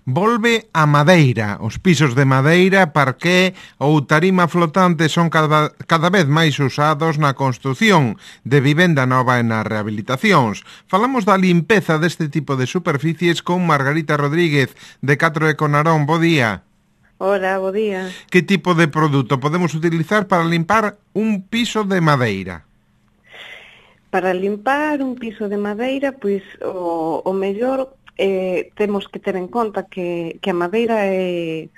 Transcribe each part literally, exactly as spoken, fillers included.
Volve a madeira. Os pisos de madeira, parqué ou tarima flotante son cada, cada vez máis usados na construción de vivenda nova e nas rehabilitacións. Falamos da limpeza deste tipo de superficies con Margarita Rodríguez, de Catro e Conarón. Bo día. Hola, bo día. Que tipo de produto podemos utilizar para limpar un piso de madeira? Para limpar un piso de madeira, pois o, o mellor eh, temos que ter en conta que, que a madeira é,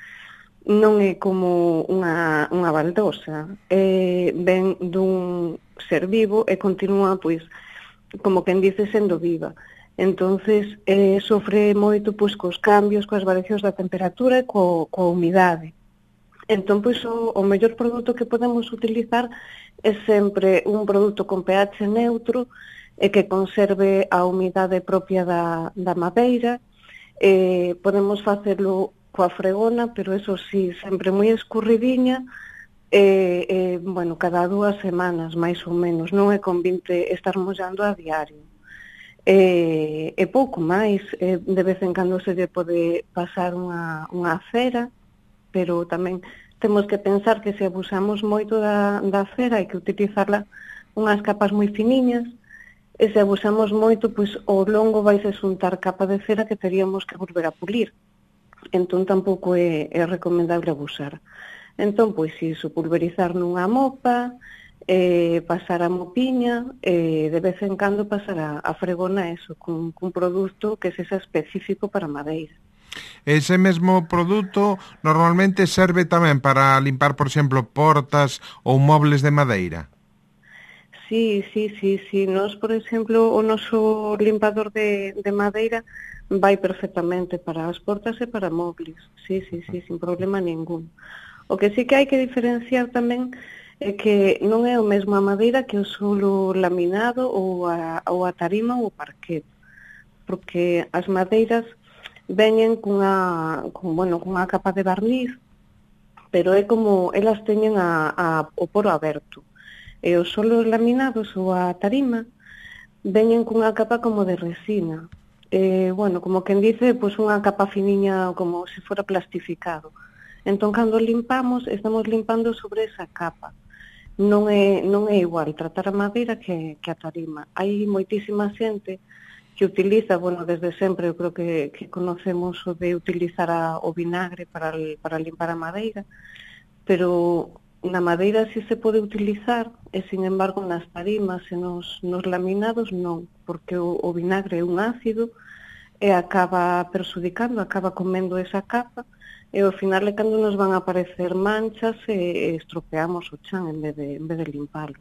non é como unha, unha baldosa, é, ven dun ser vivo e continúa, pois, como quen dice, sendo viva. Entonces, eh, sofre moito pois, cos cambios, coas variacións da temperatura e co, coa humidade. Entón, pois, o, o mellor produto que podemos utilizar é sempre un produto con pH neutro e que conserve a humidade propia da, da madeira. Eh, podemos facelo coa fregona, pero eso sí, sempre moi escurridiña, eh, eh, bueno, cada dúas semanas, máis ou menos, non é convinte estar mollando a diario. E, e pouco máis, eh, de vez en cando se lle pode pasar unha, unha cera, pero tamén temos que pensar que se abusamos moito da, da cera hai que utilizarla unhas capas moi finiñas, e se abusamos moito, pois ao longo vaise xuntar capa de cera que teríamos que volver a pulir. Entón tampouco é, é recomendable abusar. Entón, pois, iso, pulverizar nunha mopa, eh, pasar a mopiña, e de vez en cando pasar a, a fregona, eso, cun, cun produto que sexa específico para madeira. Ese mesmo produto normalmente serve tamén para limpar, por exemplo, portas ou mobles de madeira? Sí, sí, sí, sí. Nos, por exemplo, o noso limpador de, de madeira vai perfectamente para as portas e para móviles. Sí, sí, sí, sin problema ningún. O que sí que hai que diferenciar tamén é que non é o mesmo a madeira que o solo laminado ou a, ou a tarima ou o parquet. Porque as madeiras veñen cunha, con, bueno, cunha capa de barniz, pero é como elas teñen a, a, o poro aberto. E os solos laminados ou a tarima veñen cunha capa como de resina. E, bueno, como quen dice, pois unha capa finiña como se fora plastificado. Entón, cando limpamos, estamos limpando sobre esa capa. Non é, non é igual tratar a madeira que, que a tarima. Hai moitísima xente que utiliza, bueno, desde sempre, eu creo que, que conocemos o de utilizar a, o vinagre para, para limpar a madeira, pero na madeira sí se pode utilizar, e, sin embargo, nas tarimas e nos, nos laminados non, porque o, o vinagre é un ácido e acaba perxudicando, acaba comendo esa capa, e ao final é cando nos van a aparecer manchas e, e estropeamos o chan en vez de, en vez de limpalo.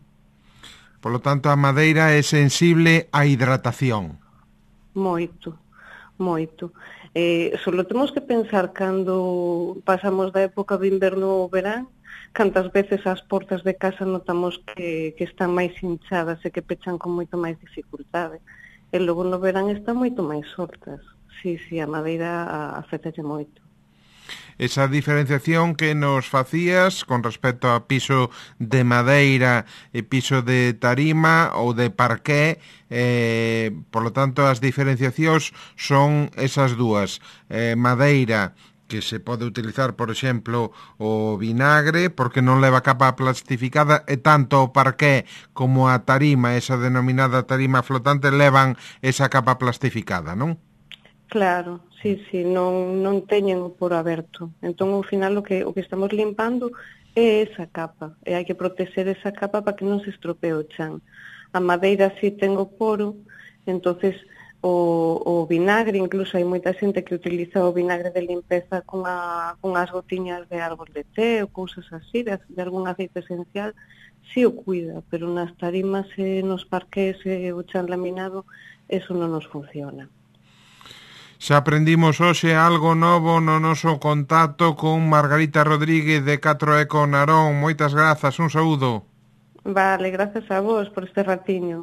Por lo tanto, a madeira é sensible á hidratación. Moito, moito. Eh, solo temos que pensar cando pasamos da época de inverno ao verán, cantas veces as portas de casa notamos que, que están máis hinchadas e que pechan con moito máis dificultade. E logo no verán están moito máis soltas. Sí, sí, a madeira afectalle moito. Esa diferenciación que nos facías con respecto a piso de madeira e piso de tarima ou de parqué, eh, por lo tanto as diferenciacións son esas dúas, eh, madeira que se pode utilizar, por exemplo, o vinagre, porque non leva capa plastificada, e tanto o parqué como a tarima, esa denominada tarima flotante, levan esa capa plastificada, non? Claro, sí, sí, non, non teñen o poro aberto. Entón, ao final, o que, o que estamos limpando é esa capa, e hai que protexer esa capa para que non se estropee o chan. A madeira sí ten o poro, entonces o, o vinagre, incluso hai moita xente que utiliza o vinagre de limpeza con, a, con as gotiñas de árbol de té ou cousas así, de, de algún aceite esencial, sí o cuida, pero nas tarimas e nos parqués e o chan laminado, eso non nos funciona. Xa aprendimos hoxe algo novo no noso contacto con Margarita Rodríguez de Catro e Conarón. Moitas grazas, un saúdo. Vale, grazas a vos por este ratiño.